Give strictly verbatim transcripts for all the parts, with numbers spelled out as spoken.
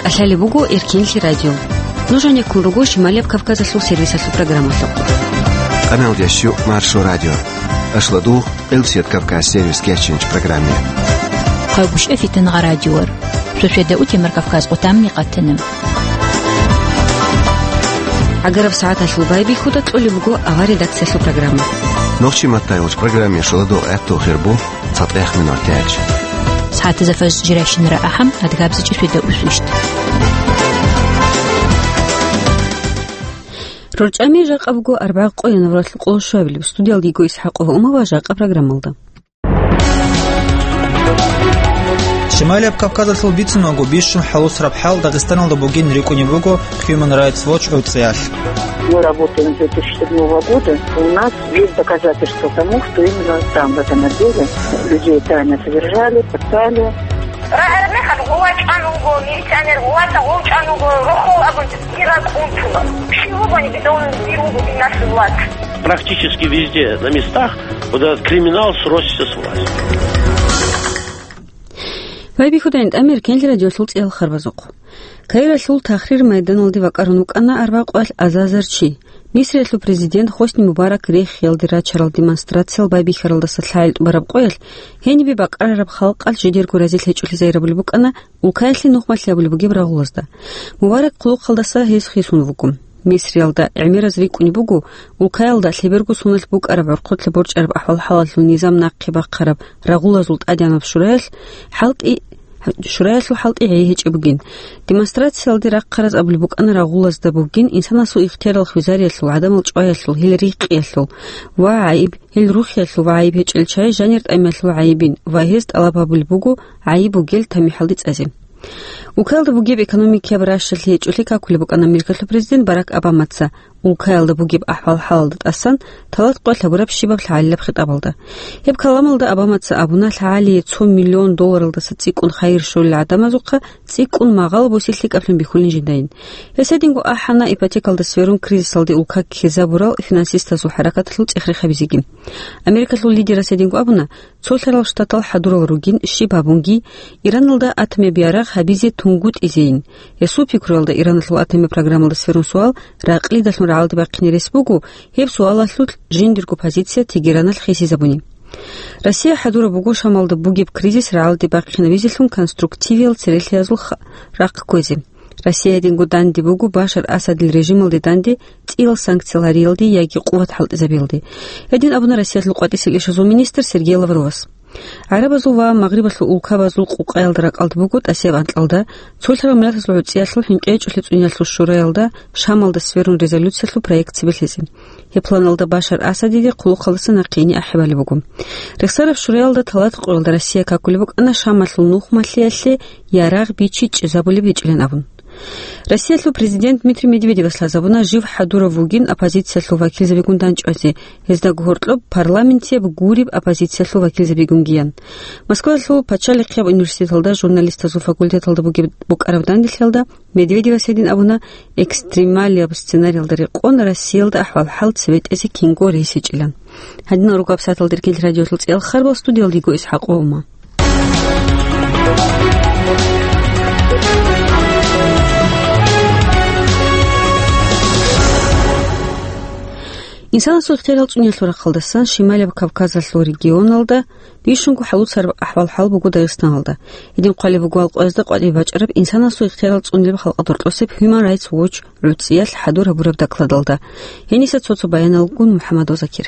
ТӀалъалеб буго Эркенлъи радио. Нуж гьанеккун руго Шималияб Кавказалъул сервисалъул программалъухъ. Къаналдящу Маршо радио. Ашладугъ Элсет Кавказ сервис кечинч программе. Хъагушев Фитангъа радиор. Сосведа утемар Кавказ къутамни къатанам. ГӀагараб сагӀаталъул байбихьуда кьолеб буго авар редакциялъул программа. Нохчи маттайулч программе шуладугъ гӀатту хирбу. ЦатӀех минут тяч. СагӀатазда фажр жирайщинара ахӀам, адгабзичӀи светда усвищт. РорчӀами жакъа буго арбагъ къо январалъул къоло щуабилеб. Студиялда йиго ИсхӀакъова Ума ва жакъа программалда. Шималияб Кавказалъул бицунагу бищун хӀалусараб хӀал Дагъистаналда бугин рикӀкӀунеб буго Human Rights Watch гӀуцӀиялъ. Мы работаем с две тысячи седьмого года. У нас есть доказательства тому, что именно там, в этом отделе, людей тайно содержали, пытали. Рагьараб мехалъ гъувачӀан вуго, милиционер гъувата гъувчӀан вуго, рохол абун дир ракӀ унтула. Щив вугони битӀун дир вуго динас власть. Практически везде на местах вот этот криминал сросся с властью. Байбихьудайин тӀамир кенлъи радиолъул цӀиял харбазухъ. Каиралъул Тахрир майданалде вакӀарун вукӀана арбакъвалъ азазар чи. Мисриялъул президент Хосни Мубарак рехиялде рачарал демонстрациял байбихьаралдаса лъагӀел тӀубараб къоялъ гьенибе бакӀарараб халкъалъ жидерго разилъ гьечӀолъи загьирабулеб букӀана улкаялъе нухмалъи абулеб бугеб рагъулазда. Мубарак хъулухъалдаса гьез хисун вуго. Мисриялда гӀемераз рикӀкӀунеб буго, улкаялда лъеберго соналъ букӀараб гӀурхъулъа борчӀараб ахӀвал-хӀалалъул низам нахъе бахъараб рагъулазул тӀадегӀанаб шураялъ хӀалтӀи, шураялъул хӀалтӀи гьей гьечӀеб бугин. Демонстрациялде рахъараз абулеб букӀана рагъулазда бугин инсанасул ихтиярал хвезариялъул, гӀадамал чӀваялъул, гьел рихкъиялъул ва гӀайиб, гьел рухиялъул ва гӀайиб гьечӀел чагӀи жанир тӀамиялъул гӀайибин ва гьез тӀалаб гьабулеб буго гӀайиб бугел тамихӀалде цӀазе. Улкаялда бугеб экономикияб ращалъи гьечӀолъи какулеб букӀана Америкалъул президент Барак Обамаца. Улкаялда бугеб ахӀвал-хӀалалда тӀасан талат къоялъ гьабураб щибаб лъагӀалилаб хитӀабалда. Гьеб каламалда Обамаца абуна, лъагӀалие цо миллион долларалдаса цӀикӀкӀун хайир щолел гӀадамазухъа цӀикӀкӀун магъало буси лъикӀаблъун бихьулин жидайин. Гьес гьединго ахӀана ипотекалда сверун кризисалде улка ккезабурал финансистазул хӀаракаталъул цӀех-рех гьабизеги. Америкалъул лидерас гьединго абуна, цолъарал штатал хӀадурал ругин, щиб гьабунги, Ираналда атомияб ярагъ гьабизе тунгутӀизейин. Гьесул пикруялда, Ираналъул атомияб программалда сверун суал ракълидалъун рагӀалде бахъине рес буго, гьеб суалалъулъ жиндирго позиция Тегераналъ хисизабуни. Россия хӀадураб буго Шамалда бугеб кризис рагӀалде бахъинабизелъун конструктивиял церехиязул ха-, рахъ кквезе. Россия гьединго данде буго Башар Асадил режималде данде цӀиял санкциял гьариялде яги къуват хӀалтӀизабиялде. Гьедин абуна Россиялъул къватӀисел ишазул министр Сергей Лавровас. ГӀарабазул ва Магърибалъул улкабазул къукъаялда ракӀалда буго тӀасияб анкьалда, цолъарал миллатазул гӀуцӀиялъул хӀинкъи гьечӀолъи цӀуниялъул шураялда Шамалда сверун резолюциялъул проект цебе лъезе. Гьеб планалда Башар Асадиде хъулухъалдаса нахъе ине ахӀи балеб буго. Рехсараб шураялда талат къоялда Россия какулеб букӀана Шамалъул нухмалъиялъе ярагъ бичи чӀезабулеб гьечӀилан абун. Россиялъул президент Дмитрий Медведевас лъазабуна жив хӀадурав вугин оппозициялъул вакилзабигун данчӀвазе, гьезда гьоркьоб парламентияб гуриб оппозициялъул вакилзабигунгиян. Москваялъул пачалихъияб университеталда журналистазул факультеталда бугеб букӀараб данделъиялда Медведевас гьедин абуна, экстремалияб сценариялда рекъон Россиялда ахӀвал-хӀал цебетӀезе кинго рес гьечӀилан. Гьадинал руго гьабсагӀаталда Эркенлъи радиолъул цӀиял харбал, студиялда йиго ИсхӀакъ Ума. Инсанасул ихтиярал цӀуниялъул рахъалдасан Шималияб Кавказалъул регионалда бищунго хӀалуцараб ахӀвал-хӀал буго Дагъистаналда. Гьедин хъвалеб буго алкъоязда къватӀибе бачӀараб инсанасул ихтиярал цӀунилеб халкъалда гьоркьосеб Human Rights Watch гӀуцӀиялъ хӀадур гьабураб докладалда. Гьениса цо-цо баяналгун МухӀаммадов Закир.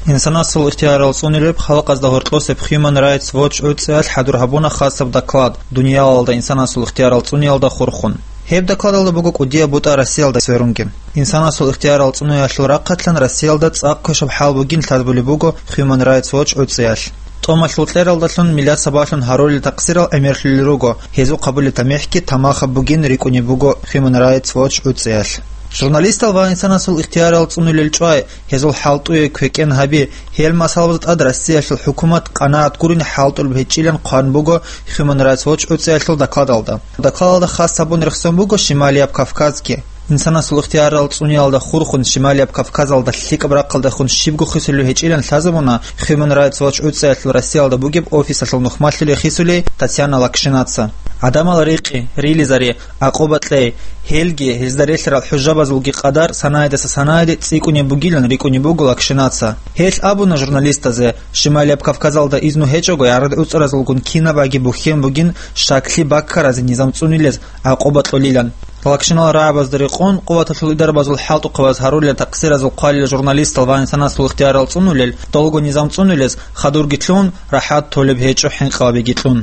Инсанасул ихтиярал цӀунилеб халкъазда гьоркьосеб Human Rights Watch гӀуцӀиялъ хӀадур гьабуна хасаб доклад дуниялалда инсанасул ихтиярал цӀуниялда хурхун. Гьеб докладалда буго кӀудияб бутӀа Россиялда сверунги. Инсанасул ихтиярал цӀуниялъул рахъалъан Россиялда цӀакъ квешаб хӀал бугин лъазабулеб буго Human Rights Watch гӀуцӀиялъ. ТӀомалъул кьералдалъун миллат сабаблъун гьарулел такъсирал гӀемерлъулел руго, гьезул хъабулеб тамихӀги тамахаб бугин рикӀкӀунеб буго Human Rights Watch гӀуцӀиялъ. Журналистал ва инсанасул ихтиярал цӀунулел чӀвай, гьезул хӀалтӀуе квекӀен гьаби, гьел масъалабазда тӀад Россиялъул хӀукумат къанагӀат гурони хӀалтӀулеб гьечӀилан хъван буго Human Rights Watch гӀуцӀиялъул докладалда. Докладалда хас гьабун рехсон буго Шималияб Кавказги. Инсанасул ихтиярал цӀуниялда хурхун Шималияб Кавказалда лъикӀаб рахъалдехун щибго хисулев гьечӀилан лъазабуна Human Rights Watch гӀуцӀиялъул Россиялда бугеб офисалъул нухмалъулев хисулей Татьяна Лакшинаца. ГӀадамал рикъи, рилизари, акъуба кьей, гьелги гьезда релълъарал хӀужабазулги къадар санаядаса санаяде цӀикӀкӀунеб бугилан рикӀкӀунеб буго Лакшинаца. Гьелъ абуна журналистазе, Шималияб Кавказалда изну гьечӀого гӀарад-гӀуцӀаразулгун кинабаги бухьен бугин щаклъи баккаразе низам цӀунилез гӀакъуба кьолилан. Лакшинал рагӀабазда рекъон, къуваталъул идарабазул хӀалтӀухъабаз гьарулел такъсиразул хъвалила журналистал ва инсанасул ихтиярал цӀунулел, долго низам цӀунилез хадурги лъун, рахӀат толеб гьечӀо хӀинкъабабиги кьун.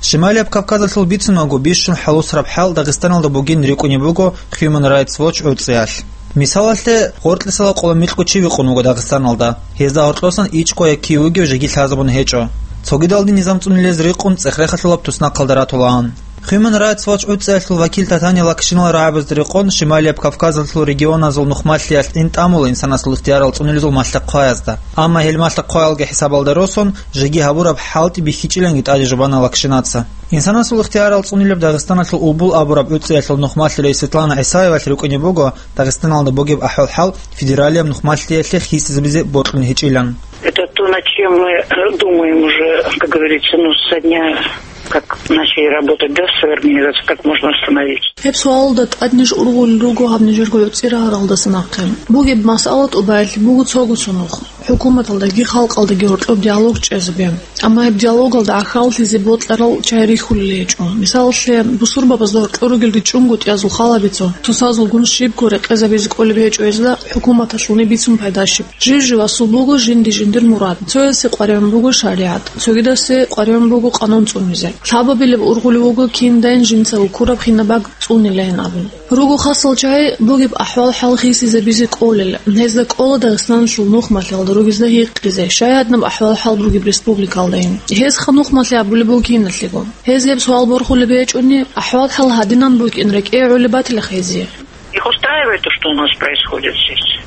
Шималияб Кавказалъул бицунаго бищун хӀалусараб хӀал Дагъистаналда бугин рикӀкӀунеб буго Human Rights Watch гӀуцӀиялъ. Мисалалъе, гъоркьисала къоло микьго чи вихъун вуго Дагъистаналда. Гьезда гьоркьосан ичӀго я кив вугев жеги лъазабун гьечӀо. Цогидалде низам цӀунилез рикъун цӀех-рехалъулаб туснахъалда ратулаан. Human Rights Watch гӀуцӀиялъул вакил Татани Лакшинал рагӀабазда рекъон Шималияб Кавказалъул регионазул нухмалъиялъ тӀамула инсанасул ихтиярал цӀунилезул малъа-хъваязда. Амма гьел малъа-хъваялги хӀисабалда росун, жеги гьабураб хӀалтӀи бихьичӀиланги тӀаде жубана Лакшинаца. Инсанасул ихтиярал цӀунилеб Дагъистаналъул Убул абураб гӀуцӀиялъул нухмалъи Светлана ГӀисаевалъ рикӀкӀунеб буго Дагъистаналда бугеб ахӀвал-хӀал федералияб нухмалъиялъе хисизабизе бокьун гьечӀилан. Это то, над чем мы, э, думаем уже, как говорится, ну, со дня, как начали работать, да, с организацией, как можно остановить. Гьеб суалалда тӀад ниж ургъулел руго гьаб нижерго гӀуцӀи рагьаралдаса нахъе. Бугеб масъала тӀубаялъе буго цого цо нух. ХӀукуматалдаги халкъалдаги гьоркьоб диалог чӀезабе. Амма гьеб диалогалда гӀахьаллъизе бокьарал чагӀи рихьулел гьечӀо. Мисалалъе, бусурбабазда гьоркьор ругел ричӀчӀунго тӀиязул халабица, тусазулгун щибго рекъезабизе кӀолеб гьечӀо гьезда хӀукуматалъулни бицун пайда щиб. Жив-живасул буго жинди-жиндир мурад. Цоясе къваригӀун буго шаригӀат, цогидасе къваригӀун буго къанун цӀунизе. Лъабабилеб ургъулев вуго киндайин жинца вукураб хинаб бакӀ цӀунилайин абун. Руго хасал чагӀи бугеб ахӀвал-хӀал хисизабизе кӀолел, гьезда кӀола Дагъистаналъул нухмалъиялда ругезда гьикъизе, щай гьадинаб ахӀвал-хӀал бугеб республикалдайин. Гьез ханухмалъи абулеб буго киналъего. Гьез гьеб суал борхулеб гьечӀони, ахӀвал-хӀал гьадинан букӀин рекӀее гӀолеб батилаха гьезие. Их устраивает то, что у нас происходит здесь?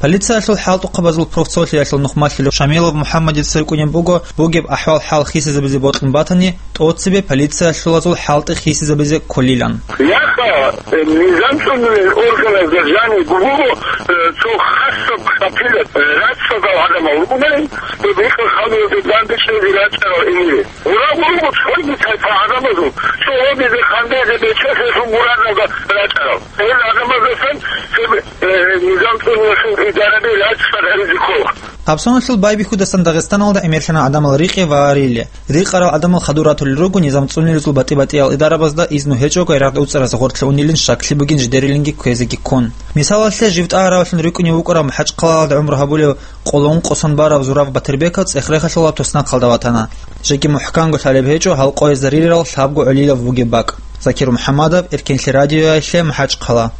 Полициялъул хӀалтӀухъабазул профцолъиялъул нухмалъулев Шамилов МухӀаммадица рикӀкӀунеб буго, бугеб ахӀвал-хӀал хисизабизе бокьун батани, тӀоцебе полициялъулазул хӀалтӀи хисизабизе кколилан. Яха, э, низам цӀунулел органазда жаниб буго, э, цо хасаб къапилаб, э, рацӀцӀадал гӀадамал ругунани, гьеб гьикъа хануялде данде чӀезе рачӀарал инире. Гьурав руго цоги тайпа гӀадамазул, цо гьобизе хандазе бечӀелъун мурадалда рачӀарал. Гьел гӀадамаздасан цебе, э, низам цӀунулелъул идараби рацӀцӀад гьаризе ккола. Абсоналъул байбихьудасан Дагъистаналда гӀемерлъана гӀадамал рикъи ва рили. Рикъарал гӀадамал хадур ратулел руго низам цӀунилезул батӀи-батӀиял идарабазда изну гьечӀого гӀарад-гӀуцӀаразда гъорлъ унилин щаклъи бугин жидерилинги кквезеги ккун. Мисалалъе, жив тӀагӀаравлъун рикӀкӀунев вукӀарав МахӀачхъалаялда гӀумру гьабулев къоло ункъо сон барав Зураб Батирбеков цӀех-рехалъулаб туснахъалда ватана. Жеги мухӀканго лъалеб гьечӀо, гьал къоязда риларал лъабго гӀолилав вугеб бакӀ. Закир МухӀаммадов, Эркенлъи радиоялъе, МахӀачхъала.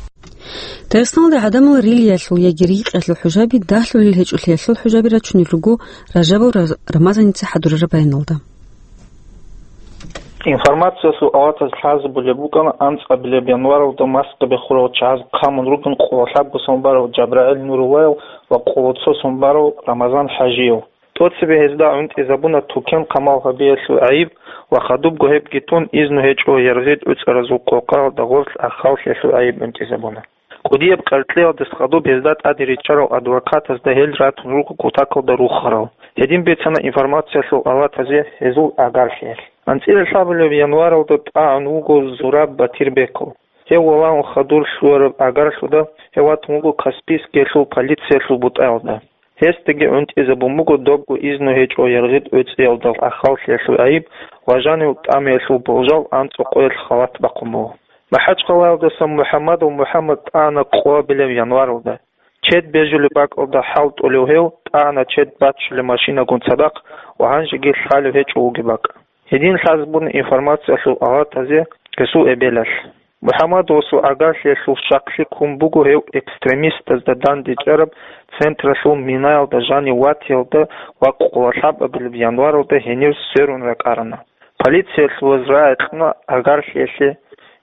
Дагъистаналда гӀадамал рилиялъул яги рикъиялъул хӀужаби дагьлъулел гьечӀолъиялъул хӀужаби рачунел руго Ражабов Ра-, Рамазаница хӀадурараб баяналда. Информациялъул аватаз лъазабулеб букӀана анцӀабилеб январалда Москвабе хурал чагӀаз хъамун ругин къоло лъабго сон барав ЖабрагӀил Нуруллаев ва къоло цо сон барав Рамазан ХӀажиев. ТӀоцебе гьезда гӀунтӀизабуна тукен-хъамал гьабиялъул гӀайиб ва хадубго гьебги тун изну гьечӀо яргъид-гӀуцӀаразул къокъаялда гъорлъ ахӀаллъиялъул гӀайиб гӀунтӀизабуна. КӀудияб къаркьиялдаса хадуб гьезда тӀаде риччарал адвокатазда гьел ратун руго кутакалда рухарал. Гьедин бицана информациялъул аватазе гьезул агарлъиялъ. АнцӀила лъабабилеб январалда тӀагӀун вуго Зураб Батирбеков. Гьев валагьун хадур лъугьараб агарлъуда гьев ватун вуго Каспийскиялъул полициялъул бутӀаялда. Гьесдаги гӀунтӀизабун буго добго изну гьечӀо яргъид-гӀуцӀиялда ахӀаллъиялъул гӀайиб ва жанив тӀамиялъул болжал анцӀго къоялъ халат бахъун буго. МахӀачхъалаялдаса МухӀаммадов МухӀаммад тӀагӀана къоабилеб январалда. Чед бежулеб бакӀалда хӀалтӀулев гьев тӀагӀана чед баччулеб машинагун цадахъ ва гьанжеги лъалеб гьечӀо вугеб бакӀ. Гьедин лъазабуна информациялъул аватазе гьесул эбелалъ. МухӀаммадовасул агарлъиялъул щаклъи ккун буго гьев экстремистазда дандечӀараб централъул минаялда жанив ватиялда ва къоло лъабабилеб январалда гьенив сверун ракӀарана. Полициялъулаз рагӀи кьуна агарлъиялъе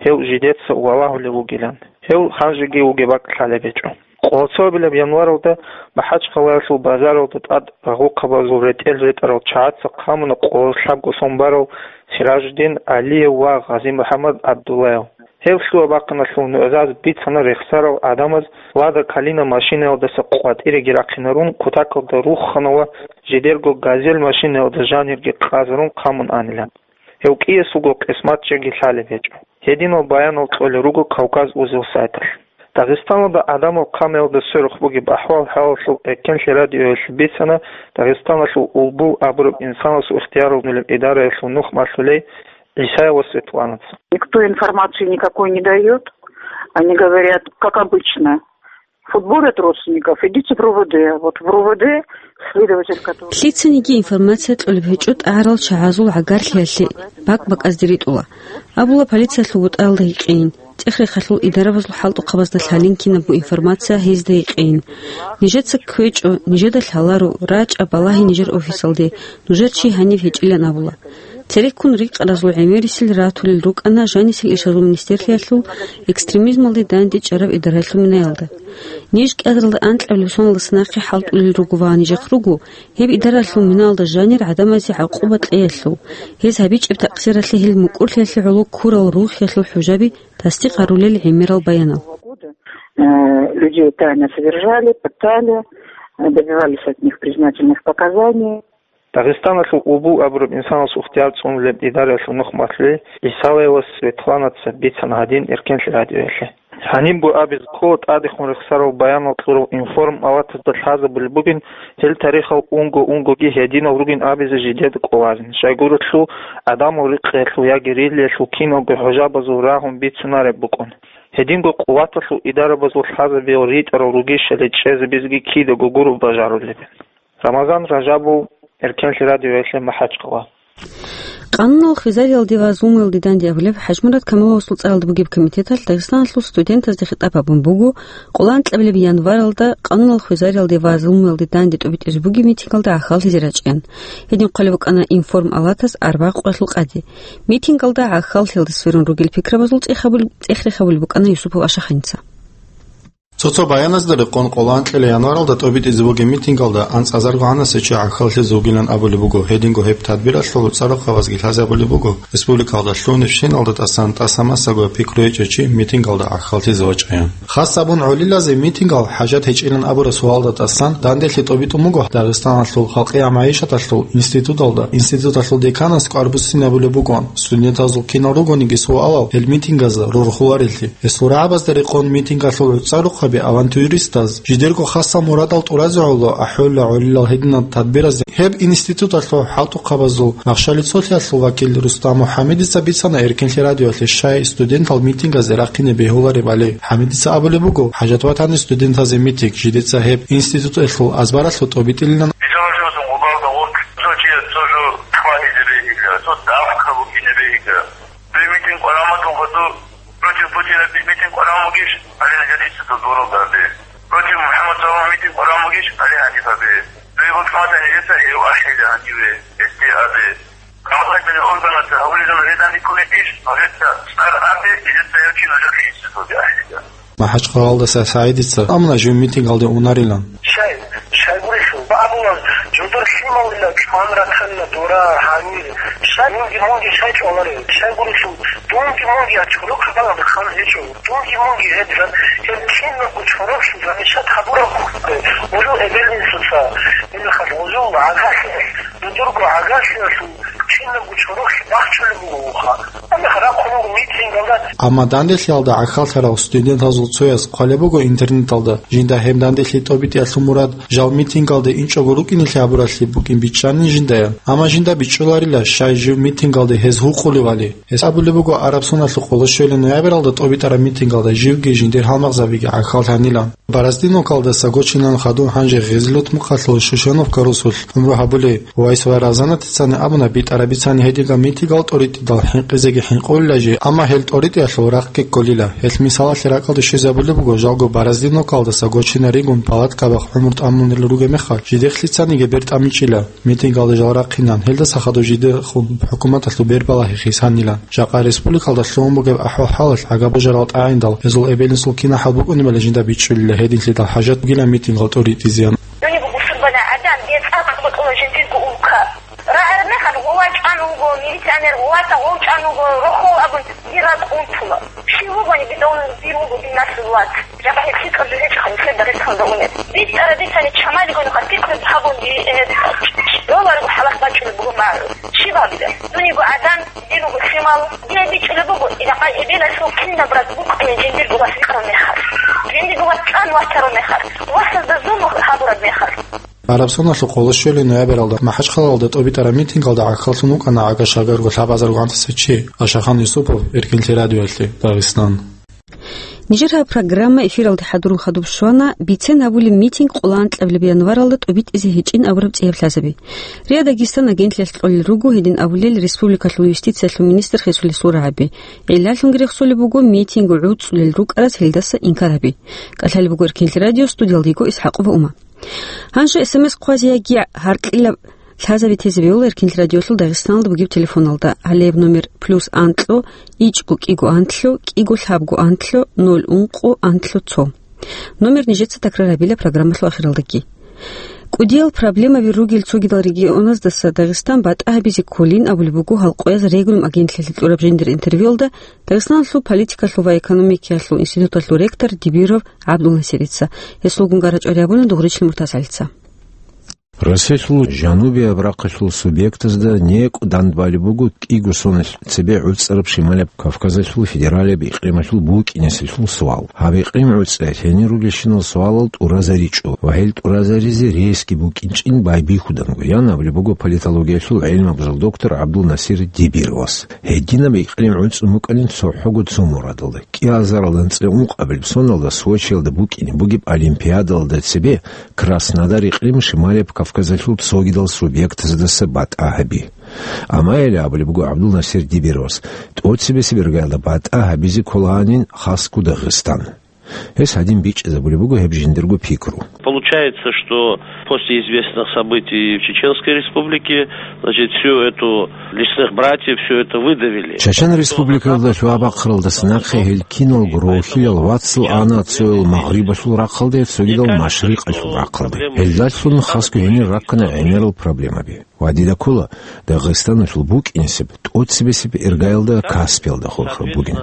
гьев жидеца валагьулев вугилан. Гьев гьанжеги вугеб бакӀ лъалеб гьечӀо. Къоло цоабилеб январалда МахӀачхъалаялъул базаралда тӀад рагъухъабазул ретӀел ретӀарал чагӀаца хъамуна къоло лъабго сон барав Сиражудин ГӀалиев ва ГъазимухӀаммад ГӀабдуллаев. Гьев лъугьа-бахъиналъул нугӀзазе бицана рехсарал гӀадамаз Лада Калина машинаялдаса къватӀиреги рахъинарун, кутакалда руххана ва жидерго Газель машинаялда жанирги къазарун хъамун анилан. Гьев кӀиясулго къисмат чеги лъалеб гьечӀо. Гьединал баянал кьолел руго Кавказ узел сайталъ. Дагъистаналда гӀадамал хъамаялда сверухъ бугеб ахӀвал-хӀалалъул Эркенлъи радиоялъ бицана Дагъистаналъул Улбул абураб инсанасул ихтияр гьабулеб идараялъул нух малъулей ГӀисаева Светланаца. Никто информации никакой не даёт. Они говорят, как обычно, футболят родственников, идите в РОВД. Вот в РОВД следователь, который... Лъицаниги информация кьолеб гьечӀо тӀагӀарал чагӀазул гӀагарлъиялъе бакӀ-бакӀазде ритӀула. Абула полициялъул бутӀаялда гьикъейин, цӀех-рехалъул идарабазул хӀалтӀухъабазда лъалин кинабго информация гьезда гьикъейин. Нижеца кквечӀо, нижеда лъаларо, рачӀа, балагье нижер офисалде, нужер чи гьаниб гьечӀилан абула. Цереккун рикъаразул гӀемерисел ратулел рукӀана жанисел ишазул министерлъиялъул экстремизмалде дандечӀараб идараялъул минаялда. Ниж кӀиазаралда анкьабилеб соналдаса нахъе хӀалтӀулел руго ва нижехъ руго гьеб идараялъул минаялда жанир гӀадамазе гӀакъуба кьеялъул, гьез гьабичӀеб такъсиралъе гьел мукӀурлъиялъе гӀоло ккурал рухӀиялъул хӀужаби тасдикъ гьарулел гӀемерал баянал. Э, людей тайно содержали, пытали, добивались от них признательных показаний. Дагъистаналъул Улбул абураб инсанасул ихтияр цӀунулеб идараялъул нух малъулей ГӀисаева Светланаца бицана гьадин Эркенлъи радиоялъе. Гьанибго абизе ккола тӀадехун рехсарал баянал кьурал Информ палатазда лъазабулеб бугин, гьел тарихал унго-унгоги гьединал ругин абизе жидеда кӀоларин, щайгурелъул гӀадамал рекъеялъул яги релиялъул киналго хӀужабазул рагьун бицунареб букӀун. Гьединго къуваталъул идарабазул лъазабиял ритӀарал ругищали чӀезабизеги кидаго гуро бажарулеб. Рамазан Ражабов, Эркенлъи радиоялъе МахӀачкъала. Къануналъ хвезариялде ва зулмуялде данде абулеб ХӀажмурат Камаловасул цӀаралда бугеб комитеталъ Дагъистаналъул студентазде хитӀаб гьабун буго, къоло анкьабилеб январалда къануналъ хвезариялде ва зулмуялде данде тӀобитӀизе бугеб митингалда гӀахьаллъизе рачӀаян. Гьедин хъвалеб букӀана Информ палатас арбагъ къоялъул къаде. Митингалда гӀахьаллъиялда сверун ругел пикрабазул цӀех гьабул-, цӀех-рех гьабулеб букӀана Юсупов Ашахъаница. Цо-цо баяназда рекъон, къоло анкьила январалда тӀобитӀизе бугеб митингалда анцӀазарго гӀанасев чи гӀахьаллъизе вугилан абулеб буго. Гьединго гьеб тадбиралъул цӀарухъабазги лъазабулеб буго, республикалда лъугьунебщиналда тӀасан тӀаса-масаго пикру гьечӀев чи митингалда гӀахьаллъизе вачӀаян. Хас абун гӀолилазе митингал хӀажат гьечӀилан абураб суалда тӀасан данделъи тӀобитӀун буго Дагъистаналъул халкъияб магӀишаталъул институталда, институталъул деканас кӀвар буссинабулеб букӀун. Студентазул кинал ругониги суалал гьел митингазда рорхуларелъи. Гьесул рагӀабазда рекъон митингалъул гӀуцӀарухъаби авантюристаз жидерго хасал мурадал тӀуразе гӀоло ахӀулла гӀолилал гьединал тадбиразде. Гьеб институталъул хӀалтӀухъабазул Махщалицолъиялъул вакил Рустам МухӀаммедица бицана Эркенлъи радиоялъе, щай студентал митингазе рахъине бегьуларебали. ХӀамидица абулеб буго, хӀажат батани студентазе митинг, жидеца гьеб институталъул азбаралъув тӀобитӀилилан. Цо чияс цо жо хвахӀизе бегьила, цо давка букӀине бегьила. Дуе митинг къварагӀун батун, против Путина митинг къварагӀун бугищ, гьале нижер институт дуралда абе. Против МухӀаммад Салам митинг къварагӀун бугищ, гьале гьаниб абе. Дуе бокьмаса нижеца гьев ахӀила гьаниве, гьесде абе. Правоохранительный органаца гьавулезул гьедан рикӀкӀунебищ, нужеца цӀар абе, нижеца гьев чи нужехъе институталде ахӀила. МахӀачкъалалдаса СагӀидица амна жив митингалде унарилан. Щай, щайгурелъул, бабулан, жодор лъималила чӀван ратанна дора гьанир. Щай, мунги, мунги щай чӀваларел? Щайгурелъул, дунги, мунги ачкъулухъ балагь хъан гьечӀо. Дунги, мунги гьеб жан, гьеб кинабго чороклъи замечат гьабураб хъугьбе, гьужул эбел-инсуца, гьелхъал гьужул гӀагарлъи, жодорго гӀагарлъиялъул кинабго чороклъи бахчулеб буго вуха. Амма рахъун вуго митингалда. Амма данделъиялда гӀахьаллъарал студентазул цояс хъвалеб буго интернеталда, жинда гьеб данделъи тӀобитӀиялъул мурад жал митингалде инчӀого рукӀинелъи гьабуралъи букӀин бичӀчӀани жиндаян. Амма жинда бичӀчӀуларила, щай жив митингалде гьез гьукъулевали. Гьес абулеб буго, араб соналъухъ къоло щуялъул ноябралда тӀобитӀараб митингалда живги жиндир гьалмагъзабиги гӀахьаллъанилан. Бороздиновкалдаса Гочинан хадуб, гьанже Гъезилут-Мухъалъул Шушеновка росулъ гӀумру гьабулей Вайс ва Разанатицани абуна, битӀараб бицани гьединго митингал тӀоритӀидал хӀинкъизеги хӀинкъулила жи, амма гьел тӀоритӀиялъул рахъги кколила. Гьелъ мисалалъе ракӀалде щвезабулеб буго, жалго Бороздиновкалдаса Гочина ригун палаткабахъ гӀумру тӀамунел ругеб мехалъ, жидехълъицаниги бер тӀамичӀила. Митингалда жал рахъинан, гьелдаса хадуб жидехун хӀукуматалъул бер балагьи хисанилан. Жакъа республикалда лъугьун бугеб ахӀвал-хӀалалъ гӀага божарал тӀагӀиндал, гьезул эбел-инсул кинахӀал букӀунебали жинда бичӀчӀулила, гьединлъидал хӀажат бугилан митингал тӀоритӀизеян. Дуниб бусурбана гӀадан, бецӀа бакӀ бакӀула жиндирго улка. РагӀараб мехалъ гъова чӀван вуго, милиционер гъовата гъов чӀван вуго, рохол абун, дир ракӀ унтула. Щив вугони, бидавулин дир вуго динасул вац. Жаба гьеб лъикӀаб жо гьечӀоха нилъер Дагъистанда унеб. БитӀараб бицани чамалигони хатикъун гьабун, э, Долларго хӀалах бачӀунеб буго магӀу. Щиб гьабилеб? Дуниго гӀадан, дир руго лъимал. Дие бичӀчӀулеб буго, иракъай эбелалъул кинаб ракӀ букӀунеб жиндирго вас рикӀкӀараб мехалъ. Жиндирго вас чӀван вачараб мехалъ. Васазда зулму гьабураб мехалъ. Гьараб соналъухъ къоло щвелин ноябралда МахӀачхъалалда тӀобитӀараб митингалда гӀахьаллъун вукӀана гӀага-шагарго лъабазарго гӀантаса чи, Ашахан Юсупов, Эркинлъи радиоялъе, Дагъистан. Нижер гьаб программа эфиралде хӀадурун хадуб щвана бицен гьабулеб митинг къоло анкьабилеб январалда тӀобитӀизе гьечӀин абураб цӀияб лъазаби. РИА Дагестан агентлъиялъ кьолел руго гьедин абулел республикалъул юстициялъул министр Хисулисул рагӀаби. ГӀиллалъунги рехсолеб буго митинг гӀуцӀулел рукӀарас гьелдаса инкар гьаби. КӀалъалеб буго Эркинлъи радио, студиялда йиго ИсхӀакъова Ума. Гьанже СМС хъвазе яги гьаркьилаб лъазаби тезе бегьула Эркинлъи радиолъул Дагъисталда бугеб телефоналда, гьалеб номер: плюс анкьго, ичӀго кӀиго анлъго, кӀиго лъабго анлъго, ноль ункъо анлъго цо. Номер нижеца такрар гьабила программалъул ахиралдаги. КӀудиял проблемаби ругел цогидал регионаздаса Дагъистан батӀа гьабизе кколин абулеб буго Халкъояз регулум агентлъиялъе кьураб жиндир интервьюялда Дагъистаналъул политикалъул ва экономикиялъул институталъул ректор Дибиров ГӀабдулнасирица. Гьесулгун гарачӀвари гьабуна Дугъричил МуртазгӀалица. Россиялъул жанубияб рахъалъул субъектазда некӀу дандбалеб буго кӀиго соналъ цебе гӀуцӀараб Шималаб Кавказалъул федералияб икълималъул букӀинеселъул суал. Гьаб икълим гӀуцӀиялъ гьенир ругелщинал суалал тӀуразаричӀо ва гьел тӀуразаризе рейсги букӀинчӀин байбихьуданго, ян абулеб буго политологиялъул гӀелмабазул доктор ГӀабдулнасир Дибировас. Гьединаб икълим гӀуцӀун букӀанин цохӀого цо мурадалда. КӀиазаралда анцӀила ункъабилеб соналда Сочиялда букӀине бугеб Олимпиадалда цебе Краснодар икълим Шималияб Кавказалъул цогидал субъектаздаса батӀа гьаби. Амма гьеле абулеб буго ГӀабдулнасир Дибировас, тӀоцебесеб иргаялда батӀа гьабизе кколагьанин хасго Дагъистан. Гьес гьадин бичӀчӀизабулеб буго гьеб жиндирго пикру. Получается, что после известных событий в Чеченской Республике, значит, всю эту лесных братьев, всё это выдавили. Чечен Республикалда лъугьа-бахъаралдаса нахъе гьел киналго рохьилал вацал ана цоял Магърибалъул рахъалде, цогидал Машрикъалъул рахъалде. Гьелдалъун хасго гьенир раккана гӀемерал проблемаби. Ва дида ккола, Дагъистаналъул букӀинесеб тӀоцебесеб иргаялда Каспиялда хурхараб бугин.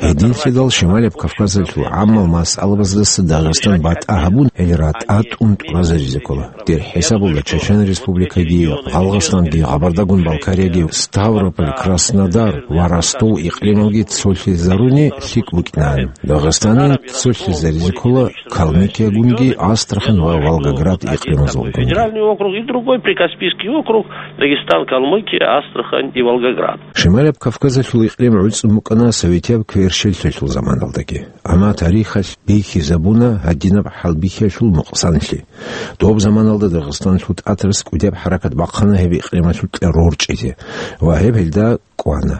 Гьединлъидал Шималияб Кавказалъул гӀаммал масъалабаздаса Дагъистан батӀа гьабун, гьел ратӀа тӀун тӀуразаризе ккола. Дир хӀисабалда Чечен Республикаги, Гъалгъастанги, Гъабардагун-Балкарияги, Ставрополь, Краснодар ва Ростов икълималги цолъизаруни лъикӀ букӀинан. Дагъистанин цолъизаризе ккола Калмыкиягунги, Астрахань ва Волгоград икълимазулгун. Федеральный округ и другой Прикаспийский округ, Дагестан, Калмыкия, Астрахань и Волгоград. Шималияб Кавказалъул икълим гӀуцӀун букӀана советияб кверщеллъиялъул заманалдаги. Амма тарихалъ бихьизабуна гьадинаб хӀалбихьиялъул нукъсанлъи. Доб заманалда Дагъистаналъул тӀатарас кӀудияб хӀаракат бахъана гьеб икълималъукьа рорчӀизе ва гьеб гьелда кӀвана.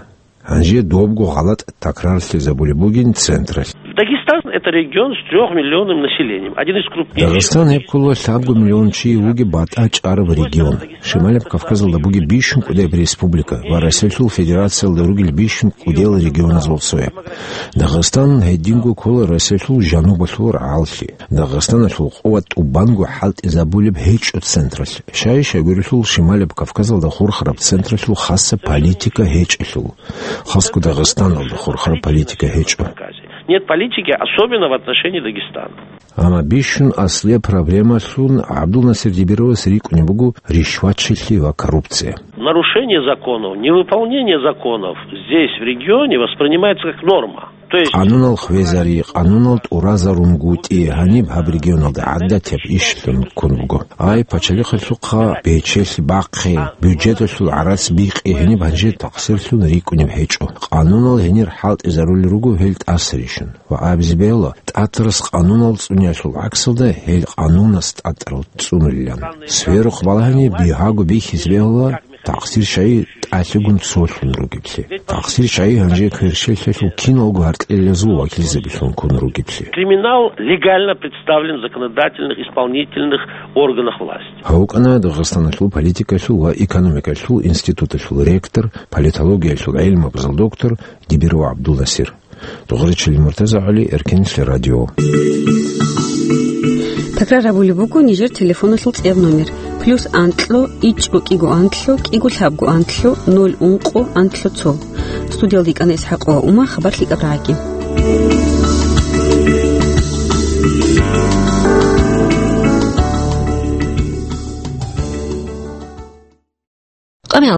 Гьанже добго гъалатӀ такрарлъизабулеб бугин централъ. Дагестан — это регион с трёхмиллионным населением, один из крупнейших. Дагъистан гьеб ккола лъабго миллион чи вугеб батӀа чӀараб регион. Шималаб Кавказалда бугеб бищун кӀудеб республика ва Россиялъул Федерациялда ругел бищун кӀудел регионазул цояб. Дагъистан гьединго ккола Россиялъул жанубалъул рагӀаллъи. Дагъистаналъул къуват тӀубанго хӀалтӀизабулеб гьечӀо централъ. Щай-щай гурелъул Шималаб Кавказалда хурхараб централъул хаса политика гьечӀелъул. Хасго Дагъистаналда хурхараб политика гьечӀо. Нет политики, особенно в отношении Дагестана. Амма бищун аслияб проблемалъун ГӀабдулнасир Дибировас рикӀкӀунеб буго ришвачилъи ва коррупция. Нарушение законов, невыполнение законов здесь, в регионе, воспринимается как норма. То есть Къанунал хвезари, къанунал тӀуразарунгутӀи гьаниб гьаб регионалда гӀадатияб ишлъун ккун буго. Ай, пачалихъалъухъа бечелъи бахъе, бюджеталъул гӀарац бикъи гьениб гьанже такъсирлъун рикӀкӀунеб гьечӀо. Къанунал гьенир хӀалтӀизарулел руго гьел тӀасарищун. Ва абизе бегьула, тӀатарас къанунал цӀуниялъул гӀаксалда гьел къанунас тӀатӀарал цӀунулилан. Сверухъ балагьани бигьаго бихьизе бегьула, такъсир щай тӀалъигун цолъун ругеблъи. Такъсир щай гьанже кверщелъиялъул киналго гьаркьелазул вакилзабилъун ккун ругеблъи. Криминал легально представлен в законодательных, исполнительных органах власти. Гьав вукӀана Дагъистаналъул политикалъул ва экономикалъул институталъул ректор, политологиялъул гӀелмабазул доктор Дибиров ГӀабдулнасир. Дугъричил МуртазагӀали, Эркенлъи радио. Такрар гьабулеб буго нижер телефоналъул цӀияб номер: плюс анкьлъо, ичӀго кӀиго анкьлъо, кӀиго лъабго анкьлъо, ноль ункъо анкьлъо цо. Студиялда йикӀана ИсхӀакъова Ума, хабар лъикӀаб рагӀаги.